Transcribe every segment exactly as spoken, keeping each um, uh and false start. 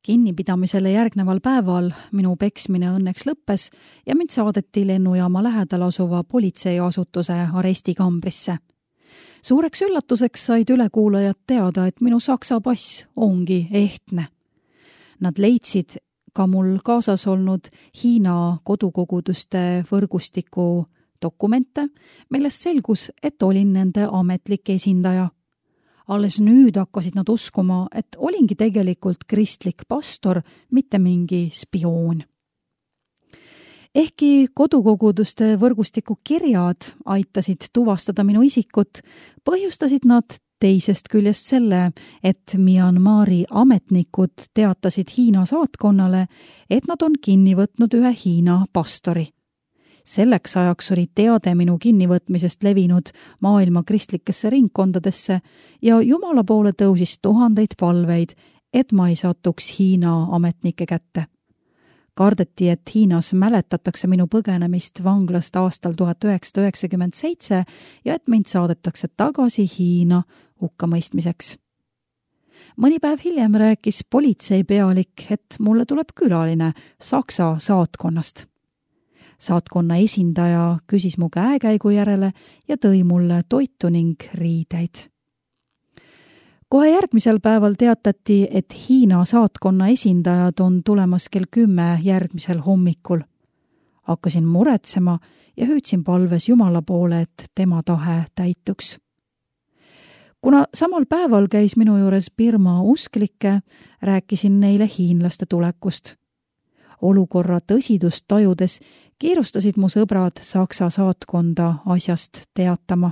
Kinnipidamisele järgneval päeval minu peksmine õnneks lõppes ja mind saadeti lennujaama lähedal asuva politseiasutuse arestikambrisse. Suureks üllatuseks said ülekuulajad teada, et minu saksa pass ongi ehtne. Nad leidsid ka mul kaasas olnud Hiina kodukoguduste võrgustiku dokumente, millest selgus, et olin nende ametlik esindaja. Alles nüüd hakkasid nad uskuma, et olingi tegelikult kristlik pastor, mitte mingi spioon. Ehkki kodukoguduste võrgustiku kirjad aitasid tuvastada minu isikut, põhjustasid nad teisest küljest selle, et Myanmari ametnikud teatasid Hiina saatkonnale, et nad on kinni võtnud ühe Hiina pastori. Selleks ajaks oli teade minu kinnivõtmisest levinud maailma kristlikesse ringkondadesse ja Jumala poole tõusis tuhandeid palveid, et ma ei satuks Hiina ametnike kätte. Kardeti, et Hiinas mäletatakse minu põgenemist vanglast aastal tuhat üheksasada üheksakümmend seitse ja et mind saadetakse tagasi Hiina hukkamõistmiseks. Mõni päev hiljem rääkis politseipealik, et mulle tuleb külaline Saksa saatkonnast. Saatkonna esindaja küsis mu käekäigu järele ja tõi mulle toitu ning riideid. Kohe järgmisel päeval teatati, et Hiina saatkonna esindajad on tulemas kell kümme järgmisel hommikul. Hakkasin muretsema ja hüüdsin palves Jumala poole, et tema tahe täituks. Kuna samal päeval käis minu juures Birma usklikke, rääkisin neile hiinlaste tulekust. Olukorra tõsidust tajudes kiirustasid mu sõbrad Saksa saatkonda asjast teatama.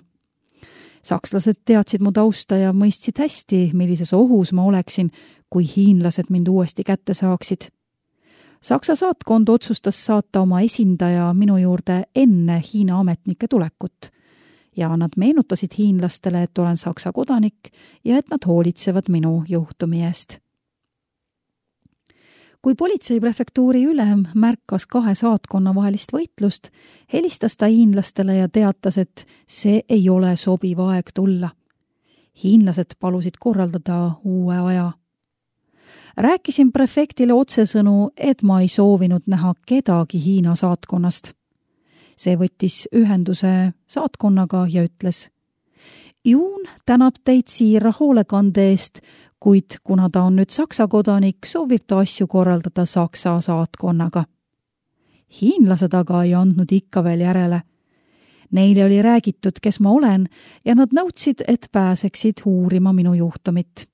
Sakslased teadsid mu tausta ja mõistsid hästi, millises ohus ma oleksin, kui hiinlased mind uuesti kätte saaksid. Saksa saatkond otsustas saata oma esindaja minu juurde enne Hiina ametnike tulekut ja nad meenutasid hiinlastele, et olen Saksa kodanik ja et nad hoolitsevad minu juhtumi eest. Kui politseiprefektuuri ülem märkas kahe saatkonna vahelist võitlust, helistas ta hiinlastele ja teatas, et see ei ole sobiv aeg tulla. Hiinlased palusid korraldada uue aja. Rääkisin prefektile otsesõnu, et ma ei soovinud näha kedagi Hiina saatkonnast. See võttis ühenduse saatkonnaga ja ütles: Juun tänab teid siira hoolekande eest, kuid kuna ta on nüüd Saksa kodanik, soovib ta asju korraldada Saksa saatkonnaga. Hiinlased aga ei andnud ikka veel järele. Neile oli räägitud, kes ma olen, ja nad nõudsid, et pääseksid uurima minu juhtumit.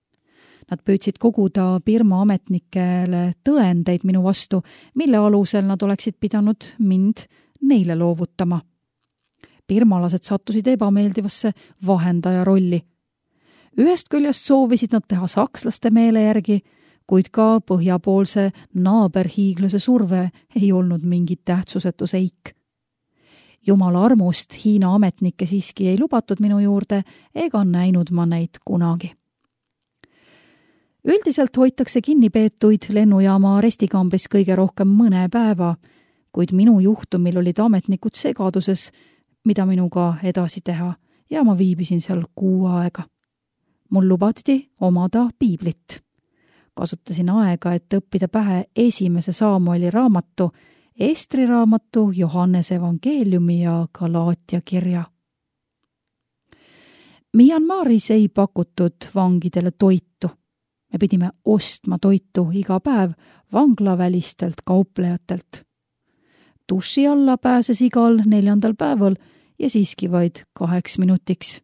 Nad püüdsid koguda Birma ametnikele tõendeid minu vastu, mille alusel nad oleksid pidanud mind neile loovutama. Birmalased sattusid ebameeldivasse vahendaja rolli. Ühest küljest soovisid nad teha sakslaste meele järgi, kuid ka põhjapoolse naaberhiiglase surve ei olnud mingit tähtsusetu seik. Jumala armust Hiina ametnikke siiski ei lubatud minu juurde ega näinud ma neid kunagi. Üldiselt hoitakse kinnipeetuid lennujaama arestikambris kõige rohkem mõne päeva, kuid minu juhtumil olid ametnikud segaduses, mida minuga edasi teha, ja ma viibisin seal kuu aega. Mul lubati omada piiblit. Kasutasin aega, et õppida pähe esimese Saamueli raamatu, Estri raamatu, Johannese evangeeliumi ja Galaatia kirja. Myanmaris ei pakutud vangidele toitu. Me pidime ostma toitu iga päev vanglavälistelt kauplejatelt. Duši alla pääses igal neljandal päeval ja siiski vaid kaheks minutiks.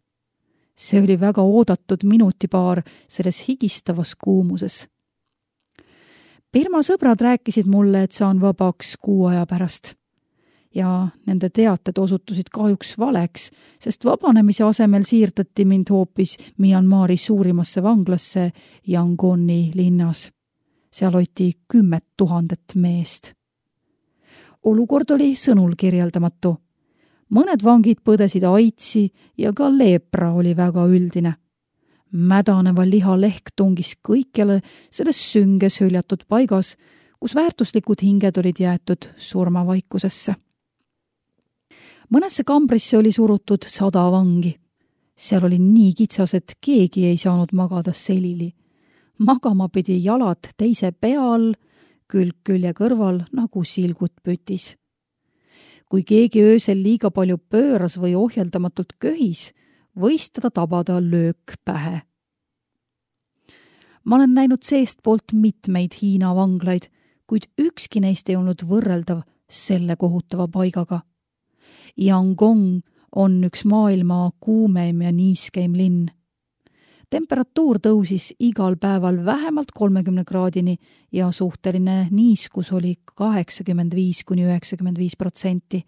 See oli väga oodatud minutipaar selles higistavas kuumuses. Birma sõbrad rääkisid mulle, et saan vabaks kuu aja pärast. Ja nende teated osutusid kahjuks valeks, sest vabanemise asemel siirdati mind hoopis Myanmari suurimasse vanglasse Yangoni linnas. Seal hoiti kümmet tuhandet meest. Olukord oli sõnul kirjeldamatu. Mõned vangid põdesid aitsi ja ka leepra oli väga üldine. Mädaneva liha lehk tungis kõikjale selles sünges hüljatud paigas, kus väärtuslikud hinged olid jäetud surmavaikusesse. Mõnesse kambrisse oli surutud sada vangi. Seal oli nii kitsas, et keegi ei saanud magada selili. magama pidi jalad teise pea all, külg külje kõrval nagu silgut pütis. Kui keegi öösel liiga palju pööras või ohjeldamatult köhis, võis teda tabada löök pähe. Ma olen näinud seestpoolt mitmeid Hiina vanglaid, kuid ükski neist ei olnud võrreldav selle kohutava paigaga. Yangon on üks maailma kuumeim ja niiskeim linn. Temperatuur tõusis igal päeval vähemalt kolmekümne kraadini ja suhteline niiskus oli kaheksakümmend viis kuni üheksakümmend viis protsenti.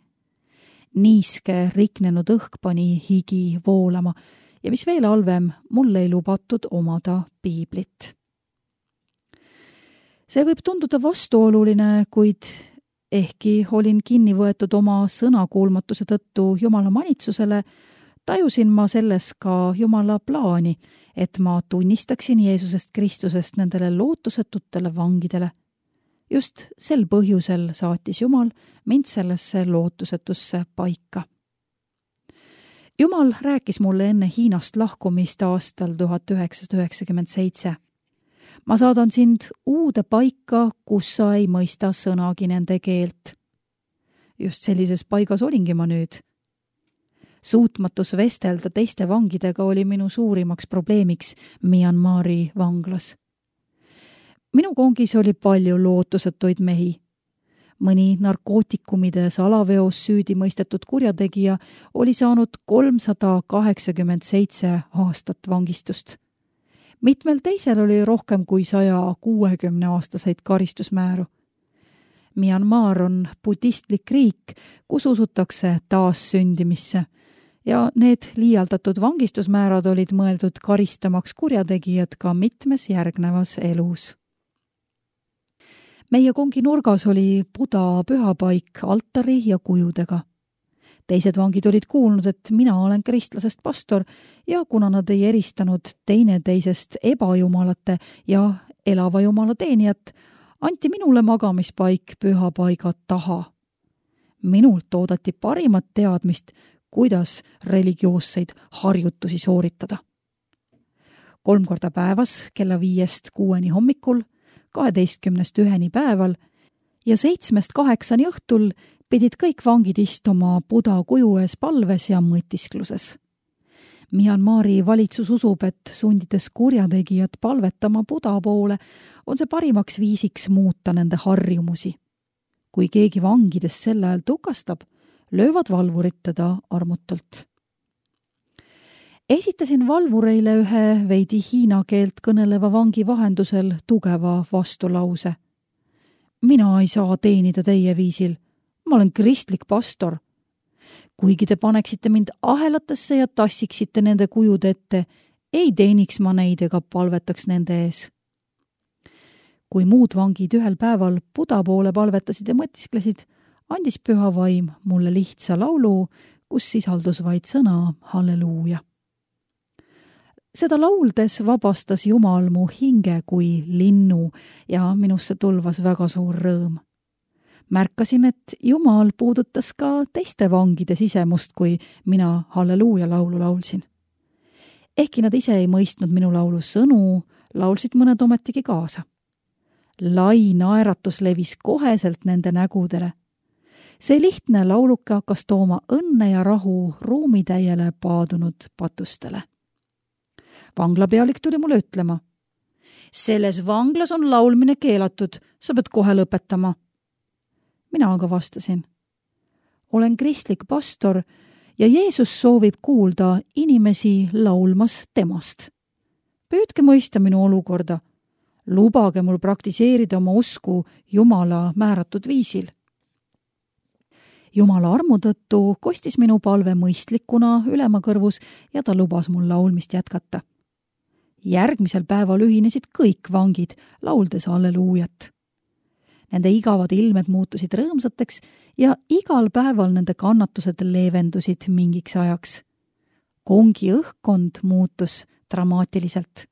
Niiske riknenud õhk pani higi voolama ja mis veel halvem, mul ei lubatud omada piiblit. See võib tunduda vastuoluline, kuid ehkki olin kinni võetud oma sõnakuulmatuse tõttu Jumala manitsusele, tajusin ma selles ka Jumala plaani, et ma tunnistaksin Jeesusest Kristusest nendele lootusetutele vangidele. Just sel põhjusel saatis Jumal mind sellesse lootusetusse paika. Jumal rääkis mulle enne Hiinast lahkumist aastal tuhat üheksasada üheksakümmend seitse. Ma saadan sind uude paika, kus sa ei mõista sõnagi nende keelt. Just sellises paigas olingi ma nüüd. Suutmatus vestelda teiste vangidega oli minu suurimaks probleemiks Myanmari vanglas. Minu kongis oli palju lootusetuid mehi. Mõni narkootikumide salaveos süüdi mõistetud kurjategija oli saanud kolmsada kaheksakümmend seitse aastat vangistust. Mitmel teisel oli rohkem kui saja kuuekümne aastaseid karistusmääru. Myanmar on budistlik riik, kus usutakse taassündimisse ja need liialdatud vangistusmäärad olid mõeldud karistamaks kurjategijad ka mitmes järgnevas elus. Meie kongi nurgas oli Buda pühapaik altari ja kujudega. Teised vangid olid kuulnud, et mina olen kristlasest pastor ja kuna nad ei eristanud teineteisest ebajumalate ja elava jumala teenijat, anti minule magamispaik pühapaiga taha. Minult oodati parimat teadmist, kuidas religioosseid harjutusi sooritada. Kolm korda päevas kella viiest kuueni hommikul, kaheteistkümnest üheni päeval ja seitsmest kaheksani õhtul pidid kõik vangid istuma Buda kuju ees palves ja mõtiskluses. Myanmari valitsus usub, et sundides kurjategijad palvetama Buda poole, on see parimaks viisiks muuta nende harjumusi. Kui keegi vangidest sel ajal tukastab, löövad valvurid teda armutult. Esitasin valvureile ühe veidi hiina keelt kõneleva vangi vahendusel tugeva vastulause. Mina ei saa teenida teie viisil. Ma olen kristlik pastor. Kuigi te paneksite mind ahelatesse ja tassiksite nende kujud ette, ei teeniks ma neid ega palvetaks nende ees. Kui muud vangid ühel päeval Buda poole palvetasid ja mõtisklesid, andis püha vaim mulle lihtsa laulu, kus sisaldus vaid sõna halleluuja. Seda lauldes vabastas Jumal mu hinge kui linnu ja minusse tulvas väga suur rõõm. Märkasin, et Jumal puudutas ka teiste vangide sisemust, kui mina halleluuja laulu laulsin. Ehkki nad ise ei mõistnud minu laulu sõnu, laulsid mõned ometigi kaasa. Lai naeratus levis koheselt nende nägudele. See lihtne lauluke hakkas tooma õnne ja rahu ruumitäiele paadunud patustele. Vanglapealik tuli mulle ütlema. Selles vanglas on laulmine keelatud, sa pead kohe lõpetama. Mina aga vastasin. Olen kristlik pastor ja Jeesus soovib kuulda inimesi laulmas temast. Püüdke mõista minu olukorda. Lubage mul praktiseerida oma usku Jumala määratud viisil. Jumala armu tõttu kostis minu palve mõistlikuna ülema kõrvus ja ta lubas mul laulmist jätkata. Järgmisel päeval ühinesid kõik vangid, lauldes halleluujat. Nende igavad ilmed muutusid rõõmsateks ja igal päeval nende kannatused leevendusid mingiks ajaks. Kongi õhkkond muutus dramaatiliselt.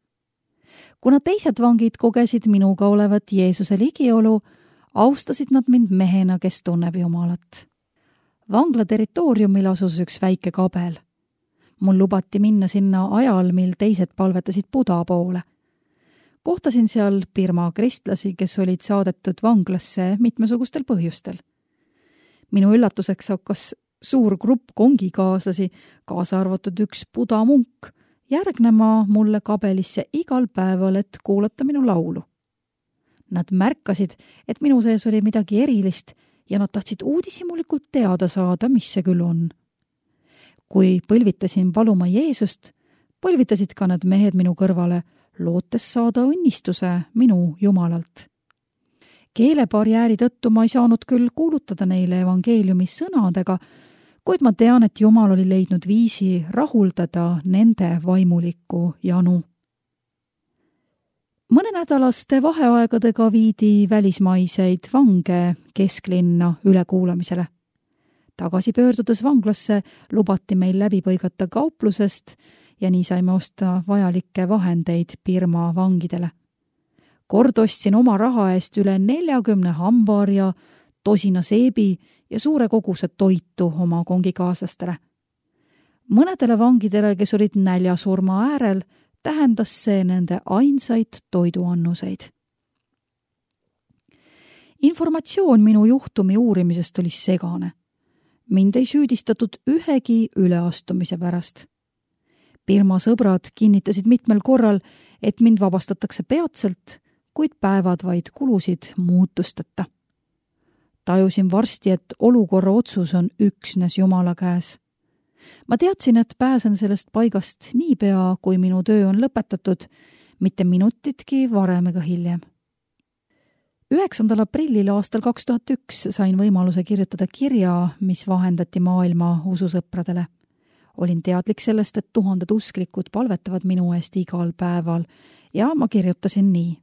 Kuna teised vangid kogesid minuga olevat Jeesuse ligiolu, austasid nad mind mehena, kes tunneb Jumalat. Vangla territooriumil asus üks väike kabel. Mul lubati minna sinna ajal, mil teised palvetasid Buda poole. kohtasin seal Birma kristlasi, kes olid saadetud vanglasse mitmesugustel põhjustel. Minu üllatuseks hakkas suur grupp kongikaaslasi, kaasa arvatud üks buda munk, järgnema mulle kabelisse igal päeval, et kuulata minu laulu. Nad märkasid, et minu sees oli midagi erilist ja nad tahtsid uudishimulikult teada saada, mis see küll on. Kui põlvitasin paluma Jeesust, põlvitasid ka need mehed minu kõrvale, lootes saada õnnistuse minu Jumalalt. Keelebarjääri tõttu ma ei saanud küll kuulutada neile evangeeliumi sõnadega, kuid ma tean, et Jumal oli leidnud viisi rahuldada nende vaimulikku janu. Mõnenädalaste vaheaegadega viidi välismaiseid vange kesklinna ülekuulamisele. Tagasi pöördudes vanglasse lubati meil läbi põigata kauplusest ja nii saime osta vajalikke vahendeid Birma vangidele. Kord ostsin oma raha eest üle neljakümne hambaarja, tosina seebi ja suure koguse toitu oma kongikaaslastele. Mõnedele vangidele, kes olid näljasurma äärel, tähendas see nende ainsaid toiduannuseid. Informatsioon minu juhtumi uurimisest oli segane. Mind ei süüdistatud ühegi üleastumise pärast. Birma sõbrad kinnitasid mitmel korral, et mind vabastatakse peatselt, kuid päevad vaid kulusid muutusteta. Tajusin varsti, et olukorra otsus on üksnes Jumala käes. Ma teadsin, et pääsen sellest paigast niipea, kui minu töö on lõpetatud, mitte minutitki varem ega hiljem. üheksandal aprillil aastal kaks tuhat üks sain võimaluse kirjutada kirja, mis vahendati maailma ususõpradele. Olin teadlik sellest, et tuhanded usklikud palvetavad minu eest igal päeval ja ma kirjutasin nii.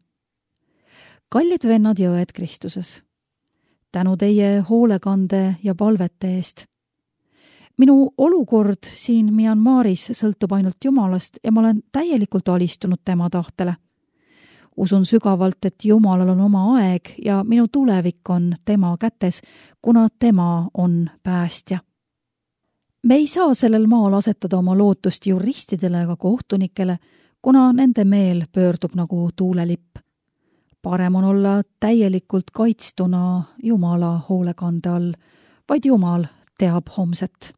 Kallid vennad ja õed Kristuses, tänu teie hoolekande ja palvete eest. Minu olukord siin Myanmaris sõltub ainult Jumalast ja ma olen täielikult alistunud tema tahtele. Usun sügavalt, et Jumalal on oma aeg ja minu tulevik on tema kätes, kuna tema on päästja. Me ei saa sellel maal asetada oma lootust juristidele ega kohtunikele, kuna nende meel pöördub nagu tuulelipp. Parem on olla täielikult kaitstuna Jumala hoolekande all, vaid Jumal teab homset.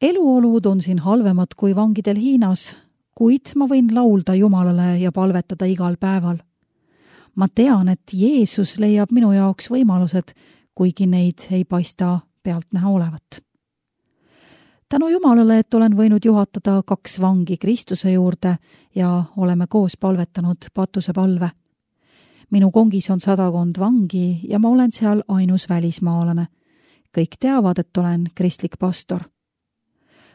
Eluolud on siin halvemad kui vangidel Hiinas, kuid ma võin laulda Jumalale ja palvetada igal päeval. Ma tean, et Jeesus leiab minu jaoks võimalused, kuigi neid ei paista pealtnäha olevat. Tänu Jumalale, et olen võinud juhatada kaks vangi Kristuse juurde ja oleme koos palvetanud patusepalve. Minu kongis on sadakond vangi ja ma olen seal ainus välismaalane. Kõik teavad, et olen kristlik pastor.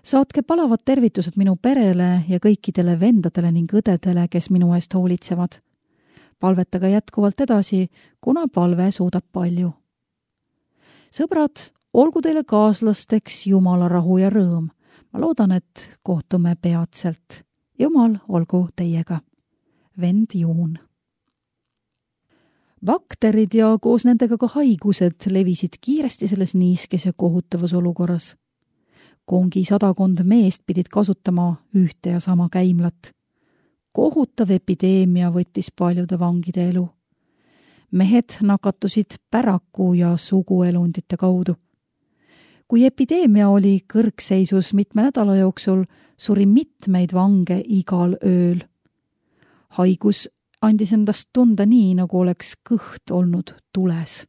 Saatke palavad tervitused minu perele ja kõikidele vendadele ning õdedele, kes minu eest hoolitsevad. Palvetage jätkuvalt edasi, kuna palve suudab palju. Sõbrad, olgu teile kaaslasteks Jumala rahu ja rõõm. Ma loodan, et kohtume peatselt. Jumal olgu teiega. Vend Juun. Bakterid ja koos nendega ka haigused levisid kiiresti selles niiskes ja kohutavas olukorras. Kongi sadakond meest pidid kasutama ühte ja sama käimlat. Kohutav epideemia võttis paljude vangide elu. Mehed nakatusid päraku ja suguelundite kaudu. Kui epideemia oli kõrgseisus mitme nädala jooksul, suri mitmeid vange igal ööl. Haigus andis endast tunda nii, nagu oleks kõht olnud tules.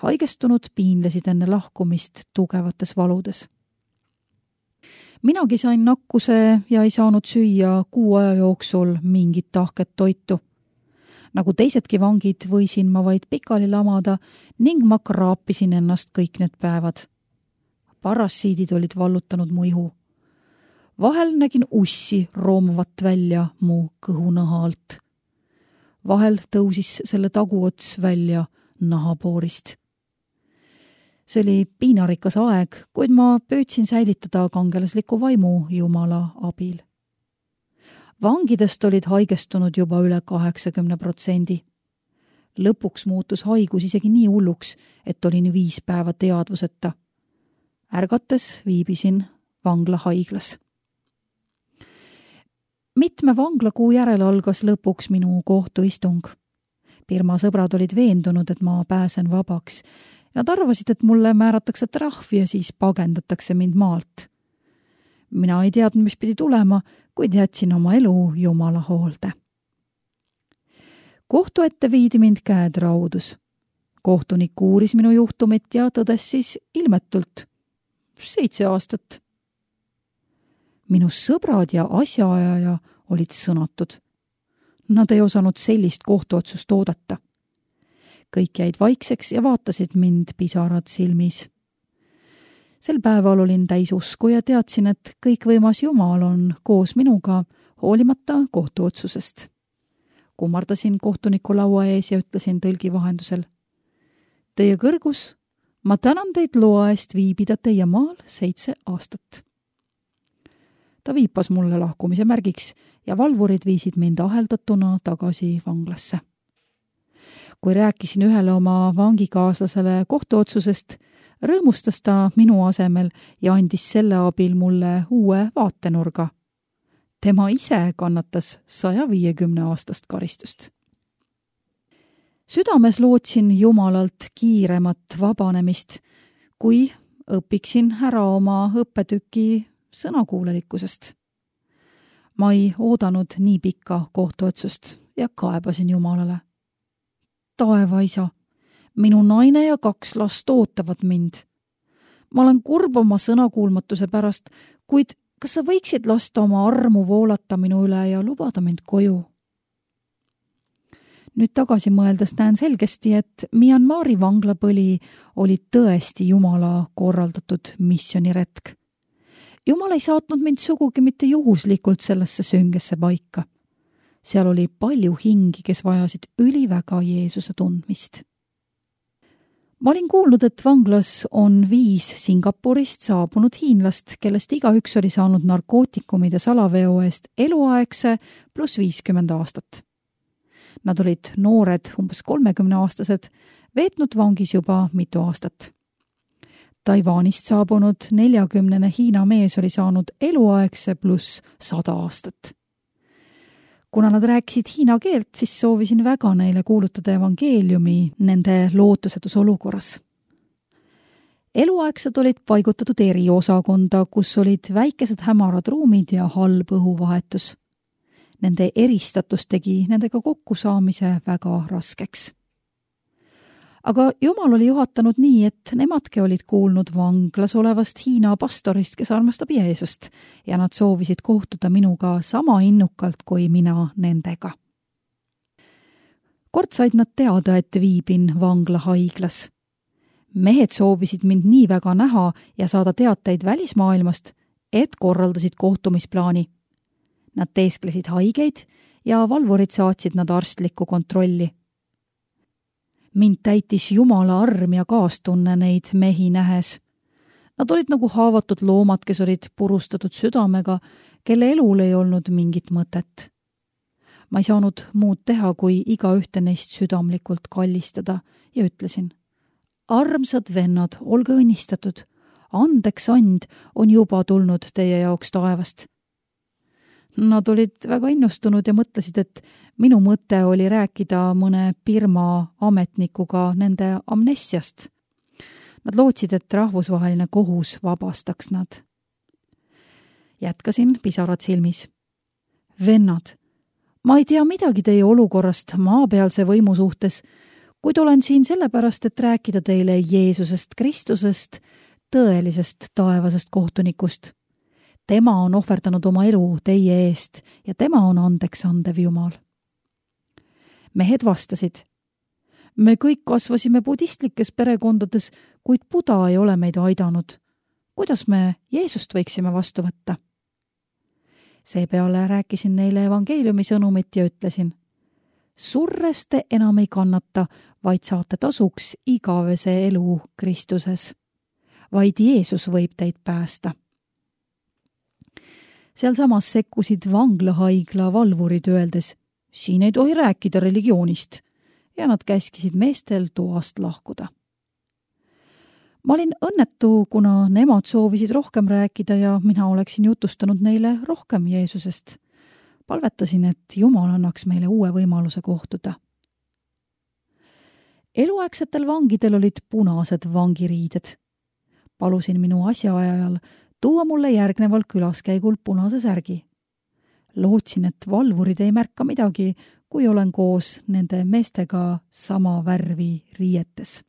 Haigestunud piinlesid enne lahkumist tugevates valudes. Minagi sain nakkuse ja ei saanud süüa kuu aja jooksul mingit tahket toitu. Nagu teisedki vangid võisin ma vaid pikali lamada ning ma kraapisin ennast kõik need päevad. Parassiidid olid vallutanud mu ihu. Vahel nägin ussi roomavat välja mu kõhunaha alt. Vahel tõusis selle taguots välja nahapoorist. See oli piinarikas aeg, kuid ma püüdsin säilitada kangelasliku vaimu Jumala abil. Vangidest olid haigestunud juba üle kaheksakümne protsendi. Lõpuks muutus haigus isegi nii hulluks, et olin viis päeva teadvuseta. Ärgates viibisin vangla haiglas. Mitme vanglakuu järel algas lõpuks minu kohtuistung. Birma sõbrad olid veendunud, et ma pääsen vabaks. Nad arvasid, et mulle määratakse trahv ja siis pagendatakse mind maalt. Mina ei teadnud, mis pidi tulema, kuid jätsin oma elu Jumala hoolde. Kohtu ette viidi mind käed raudus. Kohtunik uuris minu juhtumit ja tõdes siis ilmetult seitse aastat. Minu sõbrad ja asjaajaja olid sõnatud. Nad ei osanud sellist kohtuotsust oodata. Kõik jäid vaikseks ja vaatasid mind pisarad silmis. Sel päeval olin täis usku ja teadsin, et kõikvõimas Jumal on koos minuga hoolimata kohtuotsusest. Kummardasin kohtuniku laua ees ja ütlesin tõlgi vahendusel. Teie kõrgus, ma tänan teid loa eest viibida teie maal seitse aastat. Ta viipas mulle lahkumise märgiks ja valvurid viisid mind aheldatuna tagasi vanglasse. Kui rääkisin ühele oma vangikaaslasele kohtuotsusest, rõõmustas ta minu asemel ja andis selle abil mulle uue vaatenurga. Tema ise kannatas saja viiekümne aastast karistust. Südames lootsin Jumalalt kiiremat vabanemist, kui õpiksin ära oma õppetüki sõnakuulelikkusest. Ma ei oodanud nii pikka kohtuotsust ja kaebasin Jumalale. Taeva isa, minu naine ja kaks last ootavad mind. Ma olen kurb oma sõnakuulmatuse pärast, kuid kas sa võiksid lasta oma armu voolata minu üle ja lubada mind koju? Nüüd tagasi mõeldes näen selgesti, et Myanmari vanglapõli oli tõesti Jumala korraldatud missioniretk. Jumal ei saatnud mind sugugi mitte juhuslikult sellesse süngesse paika. Seal oli palju hingi, kes vajasid üliväga Jeesuse tundmist. Ma olin kuulnud, et vanglas on viis Singapurist saabunud hiinlast, kellest igaüks oli saanud narkootikumide salaveo eest eluaegse pluss viiskümmend aastat. Nad olid noored, umbes kolmekümneaastased, veetnud vangis juba mitu aastat. Taiwanist saabunud neljakümnene Hiina mees oli saanud eluaegse pluss sada aastat. Kuna nad rääkisid hiina keelt, siis soovisin väga neile kuulutada evangeeliumi nende lootusetus olukorras. Eluaegsed olid paigutatud eriosakonda, kus olid väikesed hämarad ruumid ja halb õhuvahetus. Nende eristatus tegi nendega kokkusaamise väga raskeks. Aga Jumal oli juhatanud nii, et nemadki olid kuulnud vanglas olevast Hiina pastorist, kes armastab Jeesust, ja nad soovisid kohtuda minuga sama innukalt kui mina nendega. Kord said nad teada, et viibin vanglahaiglas. Mehed soovisid mind nii väga näha ja saada teateid välismaailmast, et korraldasid kohtumisplaani. Nad teesklesid haigeid ja valvurid saatsid nad arstlikku kontrolli. Mind täitis Jumala arm ja kaastunne neid mehi nähes. Nad olid nagu haavatud loomad, kes olid purustatud südamega, kelle elul ei olnud mingit mõtet. Ma ei saanud muud teha, kui iga ühte neist südamlikult kallistada ja ütlesin, armsad vennad, olge õnnistatud, andeks and on juba tulnud teie jaoks taevast. Nad olid väga innustunud ja mõtlesid, et minu mõte oli rääkida mõne Birma ametnikuga nende amnestiast. Nad lootsid, et rahvusvaheline kohus vabastaks nad. Jätkasin pisarad silmis. Vennad, ma ei tea midagi teie olukorrast maapealse võimu suhtes, kuid olen siin sellepärast, et rääkida teile Jeesusest Kristusest, tõelisest taevasest kohtunikust. Tema on ohverdanud oma elu teie eest ja tema on andeks andev Jumal. Mehed vastasid, me kõik kasvasime budistlikes perekondades, kuid Buda ei ole meid aidanud. Kuidas me Jeesust võiksime vastu võtta? Seepeale rääkisin neile evangeeliumi sõnumit ja ütlesin, surres te enam ei kannata, vaid saate tasuks igavese elu Kristuses. Vaid Jeesus võib teid päästa. Seal samas sekkusid vanglahaigla valvurid öeldes, siin ei tohi rääkida religioonist, ja nad käskisid meestel toast lahkuda. Ma olin õnnetu, kuna nemad soovisid rohkem rääkida ja mina oleksin jutustanud neile rohkem Jeesusest. palvetasin, et Jumal annaks meile uue võimaluse kohtuda. Eluaegsetel vangidel olid punased vangiriided. Palusin minu asjaajal tuua mulle järgneval külaskäigul punase särgi. Lootsin, et valvurid ei märka midagi, kui olen koos nende meestega sama värvi riietes.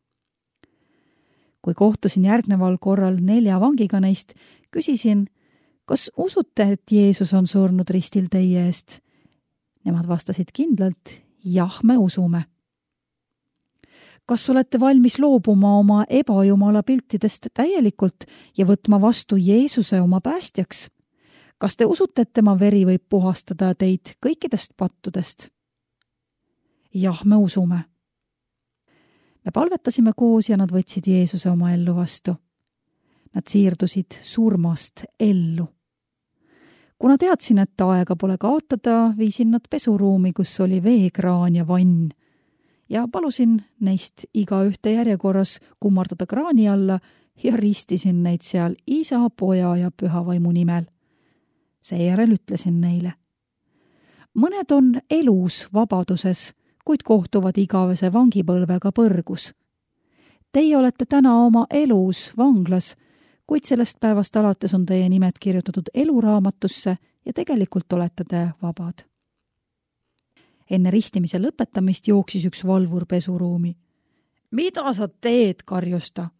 Kui kohtusin järgneval korral nelja vangiga neist, küsisin, kas usute, et Jeesus on surnud ristil teie eest? Nemad vastasid kindlalt, jah, me usume. Kas olete valmis loobuma oma ebajumala piltidest täielikult ja võtma vastu Jeesuse oma päästjaks? Kas te usute, et tema veri võib puhastada teid kõikidest pattudest? Jah, me usume. Me palvetasime koos ja nad võtsid Jeesuse oma ellu vastu. Nad siirdusid surmast ellu. Kuna teadsin, et aega pole kaotada, viisin nad pesuruumi, kus oli veekraan ja vann, ja palusin neist iga ühte järjekorras kummardada kraani alla ja ristisin neid seal Isa, Poja ja Pühavaimu nimel. Seejärel ütlesin neile. Mõned on elus vabaduses, kuid kohtuvad igavese vangipõlvega põrgus. Teie olete täna oma elus vanglas, kuid sellest päevast alates on teie nimed kirjutatud eluraamatusse ja tegelikult olete te vabad. Enne ristimise lõpetamist jooksis üks valvur pesuruumi. Mida sa teed, karjus ta?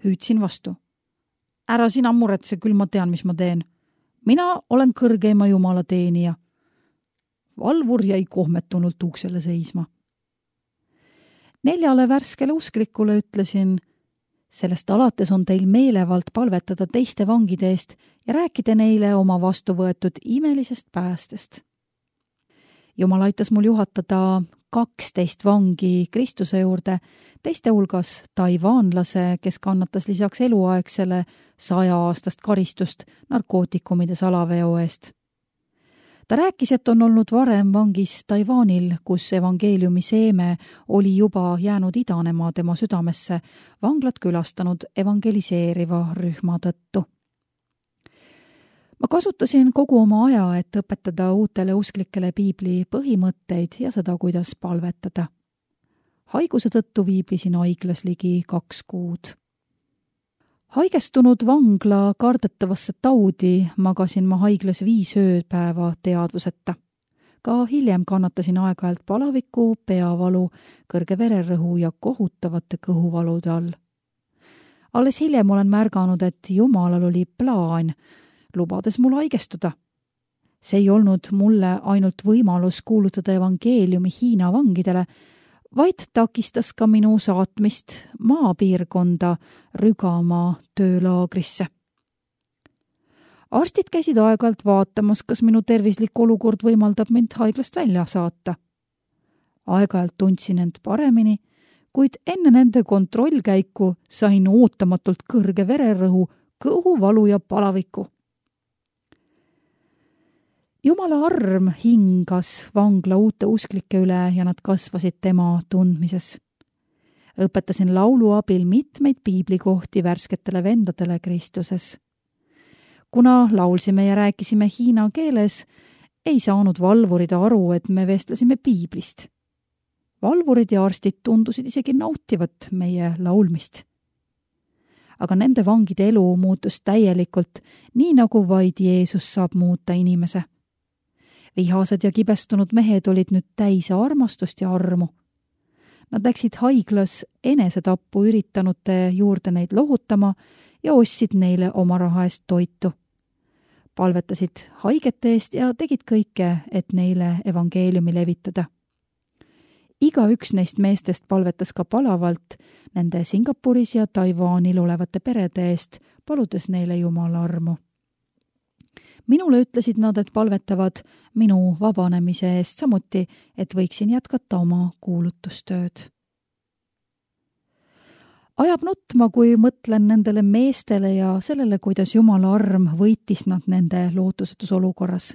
Hüüdsin vastu. Ära sina muretse, küll ma tean, mis ma teen. Mina olen kõrgeima Jumala teenija. Valvur jäi kohmetunult uksele seisma. Neljale värskele usklikule ütlesin, sellest alates on teil meelevald palvetada teiste vangide eest ja rääkida neile oma vastu võetud imelisest päästest. Jumal aitas mul juhatada kaksteist vangi Kristuse juurde, teiste hulgas taivaanlase, kes kannatas lisaks eluaegsele saja aastast karistust narkootikumide salaveo eest. Ta rääkis, et on olnud varem vangis Taiwanil, kus evangeeliumi seeme oli juba jäänud idanema tema südamesse vanglat külastanud evangeliseeriva rühma tõttu. Ma kasutasin kogu oma aja, et õpetada uutele usklikele piibli põhimõtteid ja seda, kuidas palvetada. Haiguse tõttu viibisin haiglas ligi kaks kuud. Haigestunud vangla kardetavasse taudi magasin ma haiglas viis ööpäeva teadvuseta. Ka hiljem kannatasin aeg-ajalt palaviku, peavalu, kõrge vererõhu ja kohutavate kõhuvalude all. Alles hiljem olen märganud, et Jumalal oli plaan, lubades mul haigestuda. See ei olnud mulle ainult võimalus kuulutada evangeeliumi Hiina vangidele, vaid takistas ka minu saatmist maapiirkonda Rügamaa töölaagrisse. Arstid käisid aeg-ajalt vaatamas, kas minu tervislik olukord võimaldab mind haiglast välja saata. Aeg-ajalt tundsin end paremini, kuid enne nende kontrollkäiku sain ootamatult kõrge vererõhu, kõhuvalu ja palaviku. Jumala arm hingas vangla uute usklike üle ja nad kasvasid tema tundmises. Õpetasin laulu abil mitmeid piiblikohti värsketele vendadele Kristuses. Kuna laulsime ja rääkisime hiina keeles, ei saanud valvurid aru, et me vestlesime piiblist. Valvurid ja arstid tundusid isegi nautivat meie laulmist. Aga nende vangide elu muutus täielikult, nii nagu vaid Jeesus saab muuta inimese. Vihased ja kibestunud mehed olid nüüd täis armastust ja armu. Nad läksid haiglas enesetappu üritanute juurde neid lohutama ja ostsid neile oma raha eest toitu. Palvetasid haigete eest ja tegid kõike, et neile evangeeliumi levitada. Iga üks neist meestest palvetas ka palavalt nende Singapuris ja Taiwanil olevate perede eest, paludes neile Jumala armu. Minule ütlesid nad, et palvetavad minu vabanemise eest samuti, et võiksin jätkata oma kuulutustööd. Ajab nutma, kui mõtlen nendele meestele ja sellele, kuidas Jumala arm võitis nad nende lootusetus olukorras.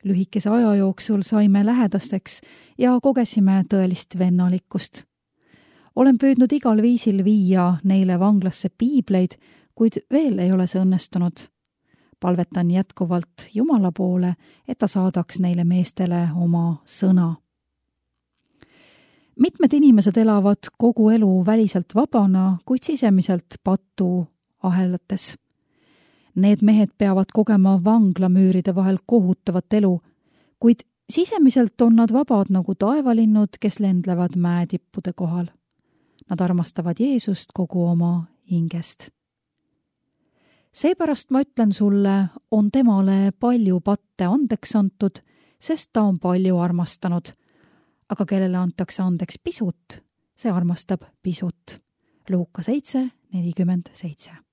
Lühikese aja jooksul saime lähedasteks ja kogesime tõelist vennalikkust. Olen püüdnud igal viisil viia neile vanglasse piibleid, kuid veel ei ole see õnnestunud. palvetan jätkuvalt Jumala poole, et ta saadaks neile meestele oma sõna. Mitmed inimesed elavad kogu elu väliselt vabana, kuid sisemiselt patu ahelates. Need mehed peavad kogema vanglamüüride vahel kohutavat elu, kuid sisemiselt on nad vabad nagu taevalinnud, kes lendlevad mäetippude kohal. Nad armastavad Jeesust kogu oma hingest. Seepärast ma ütlen sulle, on temale palju patte andeks antud, sest ta on palju armastanud. Aga kellele antakse andeks pisut, see armastab pisut. Luuka seitse nelikümmend seitse.